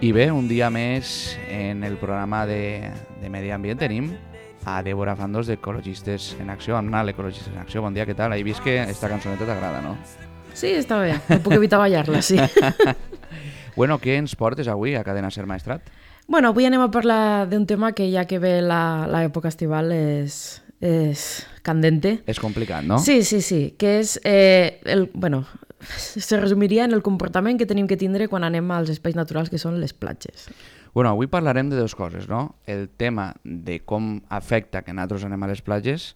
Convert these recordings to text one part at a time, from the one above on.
I bé, un dia més en el programa de Medi Ambient tenim a Débora Fandos d'Ecologistes en Acció, amb Nal Ecologistes en Acció. Bon dia, què tal? He vist que esta cançoneta t'agrada, no? Sí, està bé. No puc evitar ballar-la, sí. Bueno, què ens portes avui a Cadena Ser Maestrat? Bueno, avui anem a parlar d'un tema que ja que ve l'època estival és candente. És complicat, no? Sí, que és, se resumiria en el comportament que tenim que tindre quan anem als espais naturals que són les platges. Bueno, avui parlarem de dues coses, no? El tema de com afecta que nosaltres anem a les platges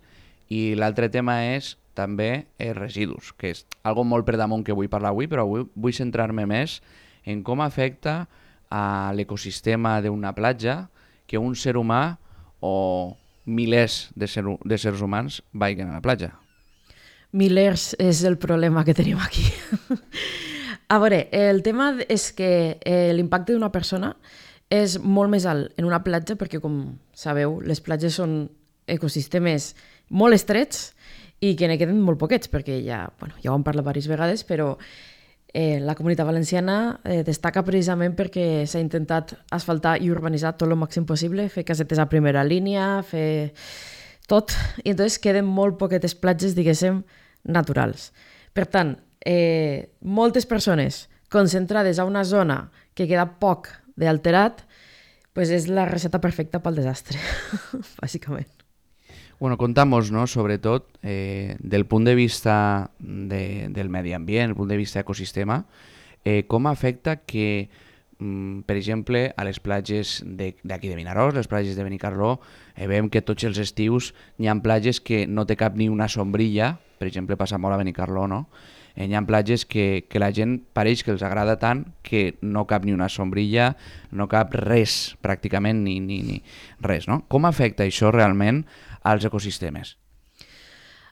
i l'altre tema és també els residus, que és algo molt per damunt que vull parlar avui, però avui vull centrar-me més en com afecta a l'ecosistema d'una platja que un ser humà o milers de sers humans vagin a la platja. Milers és el problema que tenim aquí. A veure, el tema és que l'impacte d'una persona és molt més alt en una platja perquè, com sabeu, les platges són ecosistemes molt estrets i que ne queden molt poquets, perquè ja ho hem parlat diverses vegades, però la Comunitat Valenciana destaca precisament perquè s'ha intentat asfaltar i urbanitzar tot el màxim possible, fer casetes a primera línia, fer tot, i entonces queden molt poquetes platges, diguéssim, naturals. Per tant, moltes persones concentrades a una zona que queda poc d'alterat, pues és la recepta perfecta pel desastre, bàsicament. Bueno, contamos, ¿no? Sobretot del punt de vista del medi ambient, el punt de vista ecosistema, com afecta que, per exemple, a les platges d'aquí de Vinaròs, les platges de Benicarló, veiem que tots els estius n'hi ha platges que no té cap ni una sombrilla, per exemple, passa molt a Benicarló, no? Hi ha platges que la gent pareix que els agrada tant que no cap ni una sombrilla, no cap res, pràcticament, ni res, no? Com afecta això realment als ecosistemes?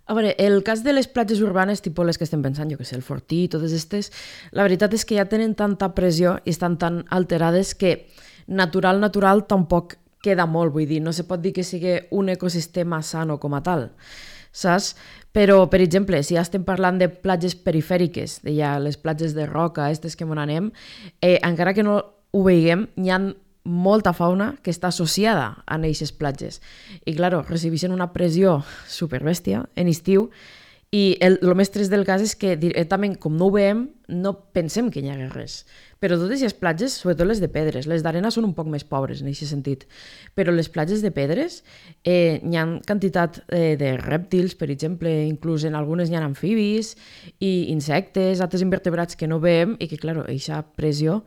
A veure, el cas de les platges urbanes, tipus les que estem pensant, jo que sé, el Fortí, totes aquestes, la veritat és que ja tenen tanta pressió i estan tan alterades que natural tampoc queda molt, vull dir, no se pot dir que sigui un ecosistema sano com a tal, saps? Però, per exemple, si ja estem parlant de platges perifèriques, de ja les platges de roca, aquestes que on anem, encara que no ho veiem, hi ha molta fauna que està associada a aquestes platges. I, clar, recibeixen una pressió superbèstia en estiu i el més trist del cas és que directament, com no ho veiem, no pensem que hi ha res. Però totes les platges, sobretot les de pedres, les d'arena són un poc més pobres en aquest sentit, però les platges de pedres hi ha quantitat de rèptils, per exemple, inclús en algunes hi ha amfibis i insectes, altres invertebrats que no veiem i que, clar, aquesta pressió.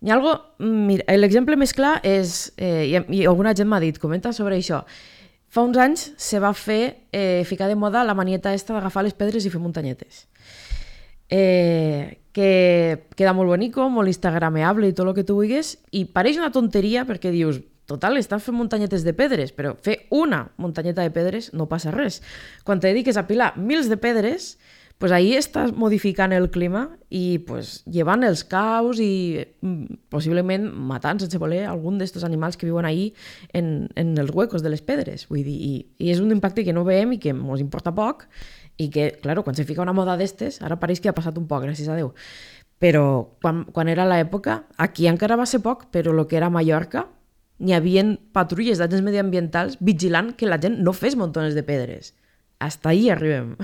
Hi ha algo, mira, l'exemple més clar és, i alguna gent m'ha dit, comenta sobre això, fa uns anys se va ficar de moda la manieta esta d'agafar les pedres i fer muntanyetes. Que queda molt bonico, molt instagrameable i tot el que tu vulguis, i pareix una tonteria perquè dius, total, estan fent muntanyetes de pedres, però fer una muntanyeta de pedres no passa res. Quan te dediques a pilar mils de pedres, pues ahí estàs modificant el clima i pues, llevant els caus i possiblement matant sense voler algun d'aquests animals que viuen ahí en els huecos de les pedres. Vull dir, i és un impacte que no veiem i que ens importa poc i que, clar, quan se fica una moda d'estes, ara pareix que ha passat un poc, gràcies a Déu. Però quan era l'època, aquí encara va ser poc, però el que era Mallorca, n'hi havia patrulles d'agents mediambientals vigilant que la gent no fes muntones de pedres. Hasta ahí arribem.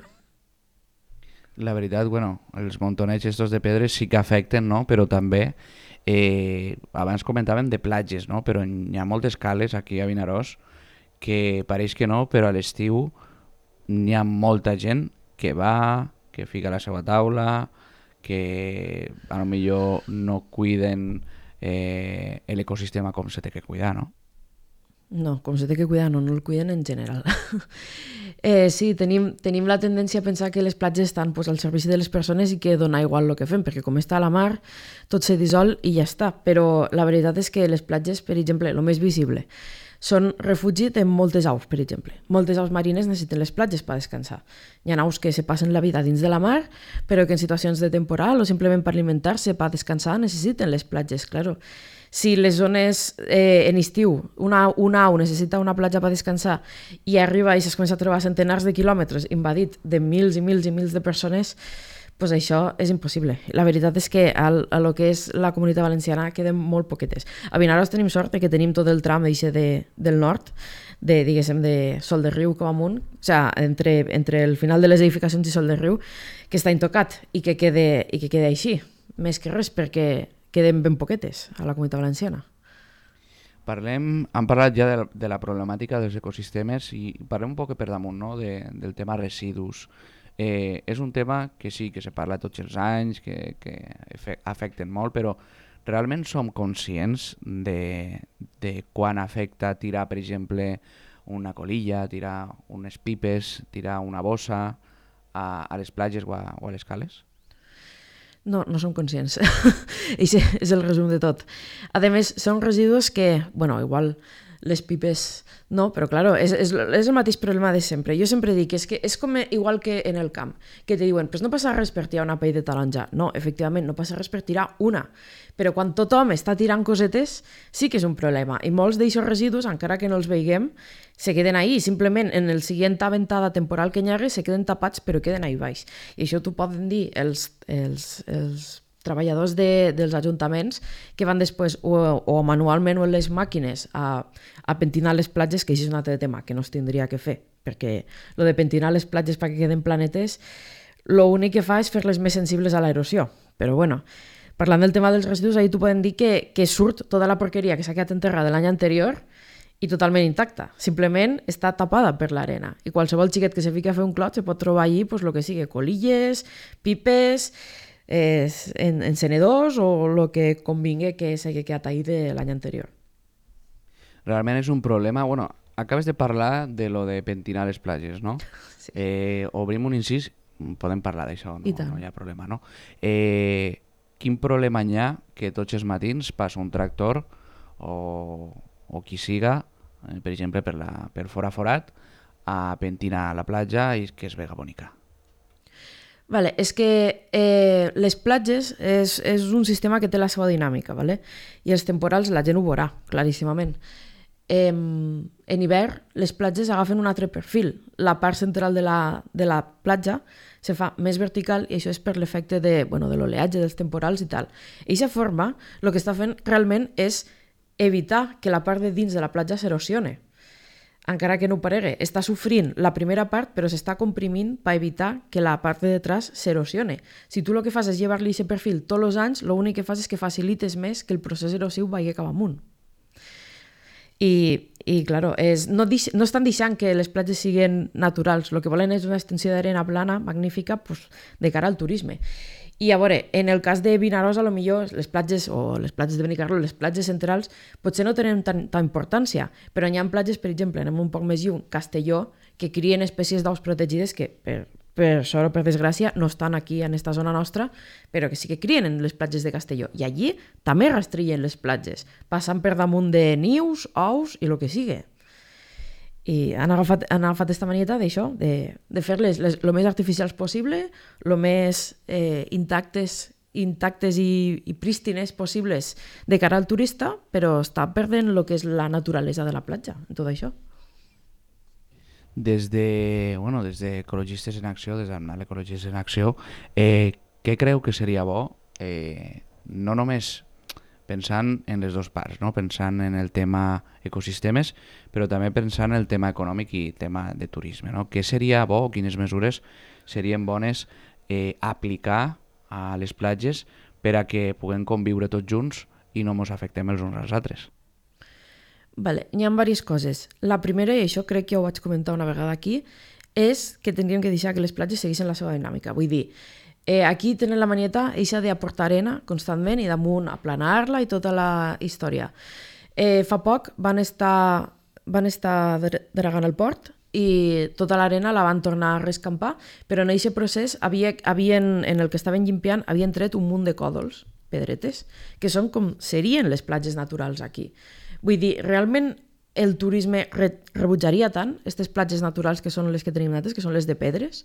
La veritat, bueno, els montonets estos de pedres sí que afecten, no? Però també, abans comentàvem de platges, no? Però hi ha moltes cales aquí a Vinaròs que pareix que no, però a l'estiu n'hi ha molta gent que va, que fica la seva taula, que a lo millor no cuiden l'ecosistema com se té que cuidar, no? No, com se té que cuidar, no el cuiden en general. Sí, tenim la tendència a pensar que les platges estan al servici de les persones i que dona igual el que fem, perquè com està a la mar, tot se dissol i ja està. Però la veritat és que les platges, per exemple, el més visible, són refugi de moltes aus, per exemple. Moltes aus marines necessiten les platges per descansar. Hi ha aus que se passen la vida dins de la mar, però que en situacions de temporal o simplement per alimentar-se, per descansar, necessiten les platges, claro. Si les zones en estiu, una au necessita una platja per descansar i arriba i es comença a trobar centenars de quilòmetres invadit de mils i mils i mils de persones, pues això és impossible. La veritat és que a lo que és la Comunitat Valenciana queden molt poquetes. A Vinaròs tenim sort que tenim tot el tram del nord, diguéssim, de Sol de Riu com amunt, o sigui, entre el final de les edificacions i Sol de Riu, que està intocat i que quede així. Més que res, perquè queden ben poquetes a la Comunitat Valenciana. Hem parlat ja de la problemàtica dels ecosistemes i parlem un poc per damunt, no? Del tema residus. És un tema que sí, que se parla tots els anys, que afecten molt, però realment som conscients de quan afecta tirar, per exemple, una colilla, tirar unes pipes, tirar una bossa a les platges o a les cales? No som conscients. Això és el resum de tot. A més, són residus que, igual les pipes no, però claro, és el mateix problema de sempre. Jo sempre dic que és com igual que en el camp, que te diuen, pues no passa res per tirar una pell de taronja. No, efectivament, no passa res per tirar una. Però quan tothom està tirant cosetes, sí que és un problema. I molts d'aquests residus, encara que no els veiguem, se queden ahí. Simplement, en el següent ventada temporal que hi hagi, se queden tapats, però queden ahí baix. I això t'ho poden dir els treballadors dels ajuntaments que van després o manualment o en les màquines a pentinar les platges, que això és un altre tema que no es tindria que fer, perquè lo de pentinar les platges perquè queden planetes, l'únic que fa és fer-les més sensibles a l'erosió. Però parlant del tema dels residus, ahir t'ho poden dir que surt tota la porqueria que s'ha quedat enterrada l'any anterior i totalment intacta. Simplement està tapada per l'arena. I qualsevol xiquet que se fica a fer un clot se pot trobar allí pues, lo que sigui, colilles, pipes, encenedors o el que convingui que s'hagi quedat ahí de l'any anterior. Realment és un problema. Acabes de parlar de lo de pentinar les platges, no? Sí. Obrim un incís, podem parlar d'això, no hi ha problema, no? Quin problema hi ha que tots els matins passa un tractor o qui siga, per exemple per forat, a pentinar la platja i que es vega bonica? Vale, és que les platges és un sistema que té la seva dinàmica, vale? I els temporals la gent ho veurà, claríssimament. En hivern les platges agafen un altre perfil. La part central de la platja se fa més vertical i això és per l'efecte de l'oleatge, dels temporals i tal. I aquesta forma el que està fent realment és evitar que la part de dins de la platja s'erosione. Encara que no ho paregui, està sofrint la primera part, però s'està comprimint per evitar que la part de detrás s'erosione. Si tu el que fas és llevar-li aquest perfil tots els anys, l'únic que fas és que facilites més que el procés erosiu vagi cap amunt. I claro, no estan deixant que les platges siguin naturals, el que volen és una extensió d'arena plana magnífica pues, de cara al turisme. I a veure, en el cas de Vinaròs, a lo millor les platges de Benicarló, les platges centrals, potser no tenen tanta importància, però hi ha platges, per exemple, anem un poc més lluny, Castelló, que crien espècies d'aus protegides que, per sort o per desgràcia, no estan aquí en esta zona nostra, però que sí que crien en les platges de Castelló. I allí també rastrillen les platges, passant per damunt de nius, ous i el que sigui. I han agafat aquesta manieta d'això, de fer-les el més artificials possible, el més intactes i prístines possibles de cara al turista, però està perdent el que és la naturalesa de la platja, en tot això. Des d'Ecologistes en Acció, des d'Amnal Ecologistes en Acció, què creu que seria bo, no només pensant en les dues parts, no? Pensant en el tema ecosistemes, però també pensant en el tema econòmic i tema de turisme, no? Què seria bo, quines mesures serien bones aplicar a les platges per a que puguem conviure tots junts i no ens afectem els uns als altres? Vale, hi ha diverses coses. La primera, i això crec que ho vaig comentar una vegada aquí, és que tindríem que deixar que les platges seguissin la seva dinàmica. Vull dir, aquí tenen la manieta eixa d'aportar arena constantment i damunt aplanar-la i tota la història. Fa poc van estar dregant el port i tota l'arena la van tornar a rescampar, però en aquest procés en el que estaven llimpiant havien tret un munt de còdols, pedretes, que són com serien les platges naturals aquí. Vull dir, realment el turisme rebutjaria tant aquestes platges naturals que són les que tenim nosaltres, que són les de pedres?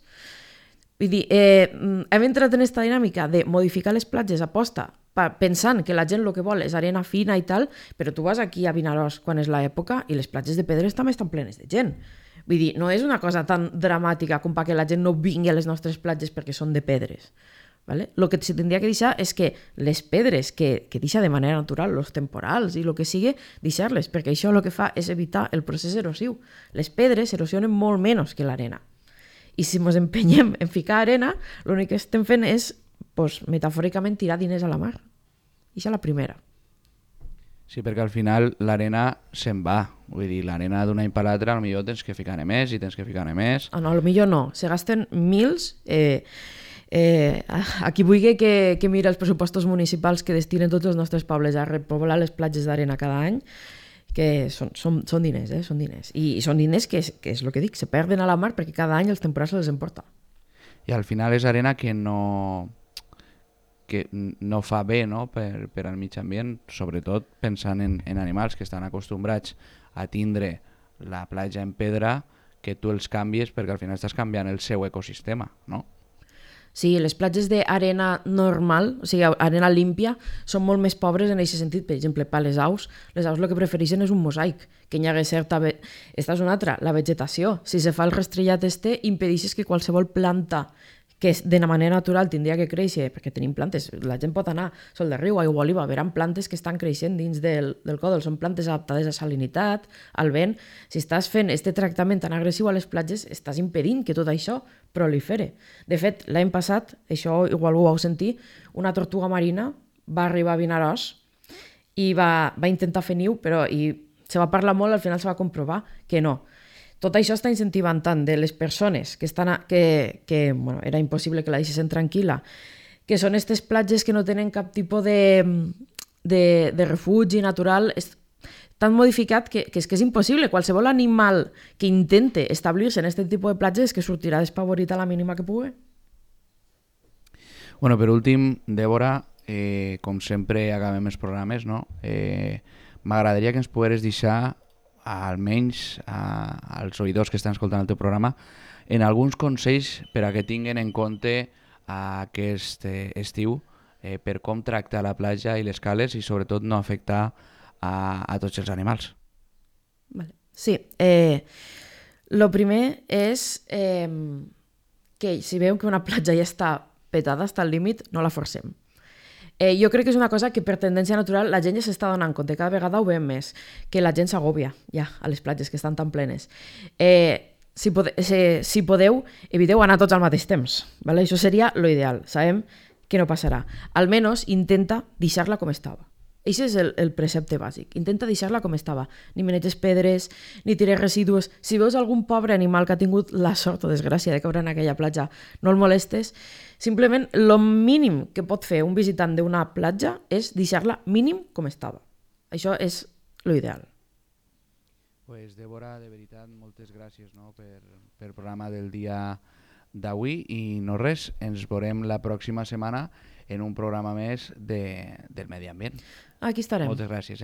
Vull dir, hem entrat en aquesta dinàmica de modificar les platges a posta pensant que la gent el que vol és arena fina i tal, però tu vas aquí a Vinaròs quan és l'època i les platges de pedres també estan plenes de gent. Vull dir, no és una cosa tan dramàtica com perquè la gent no vingui a les nostres platges perquè són de pedres. ¿vale? Lo que se tindria que deixar és que les pedres que deixa de manera natural, els temporals i el que sigui, deixar-les, perquè això el que fa és evitar el procés erosiu. Les pedres erosionen molt menys que l'arena. I si ens empenyem en ficar arena, l'únic que estem fent és, pues, metafòricament, tirar diners a la mar. I això és la primera. Sí, perquè al final l'arena se'n va. Vull dir, l'arena d'un any per l'altre potser tens que ficar-ne més i tens que ficar-ne més. No, potser no. Se gasten mils. A qui vulgui que mira els pressupostos municipals que destinen tots els nostres pobles a repoblar les platges d'arena cada any, que són diners, són diners. I són diners que és el que dic, se perden a la mar perquè cada any els temporals se les emporta. I al final és arena que no fa bé, no? per al mig ambient, sobretot pensant en animals que estan acostumbrats a tindre la platja en pedra, que tu els canvies perquè al final estàs canviant el seu ecosistema, no? Sí, les platges d'arena normal, o sigui, arena límpia, són molt més pobres en aquest sentit. Per exemple, per les aus el que prefereixen és un mosaic, que hi hagi certa... Esta és una altra, la vegetació. Si se fa el rastrillat impedeixes que qualsevol planta que de manera natural tindria que créixer, perquè tenim plantes, la gent pot anar sol de riu, aigua oliva, veuran plantes que estan creixent dins del còdol, són plantes adaptades a salinitat, al vent. Si estàs fent este tractament tan agressiu a les platges, estàs impedint que tot això prolifere. De fet, l'any passat, això igual ho vau sentir, una tortuga marina va arribar a Vinaròs i va intentar fer niu, però se va parlar molt, al final se va comprovar que no. Tot això està incentivant tant de les persones que bueno, era impossible que la deixessin tranquil·la, que són aquestes platges que no tenen cap tipus de refugi natural, tan modificat que és impossible. Qualsevol animal que intente establir-se en aquest tipus de platges que sortirà despavorit a la mínima que pugui. Bueno, per últim, Débora, com sempre acabem els programes, no? M'agradaria que ens pogueres deixar, almenys als oïdors que estan escoltant el teu programa, en alguns consells per a que tinguin en compte aquest estiu per com tractar la platja i les cales i sobretot no afectar a tots els animals. Vale. Sí, lo primer és que si veu que una platja ja està petada, està al límit, no la forcem. Jo crec que és una cosa que per tendència natural la gent ja s'està donant compte, cada vegada ho veiem més, que la gent s'agòbia ja a les platges que estan tan plenes. Si podeu, eviteu anar tots al mateix temps. ¿Vale? Això seria lo ideal, sabem que no passarà. Almenys intenta deixar-la com estava. Això és el precepte bàsic. Intenta deixar-la com estava. Ni meneges pedres, ni tires residus. Si veus algun pobre animal que ha tingut la sort o desgràcia de caure en aquella platja, no el molestes. Simplement, el mínim que pot fer un visitant d'una platja és deixar-la mínim com estava. Això és l'ideal. Pues, Débora, de veritat, moltes gràcies, no, per programa del dia d'avui i no res, ens veurem la pròxima setmana en un programa més del medi ambient. Aquí estarem. Moltes gràcies,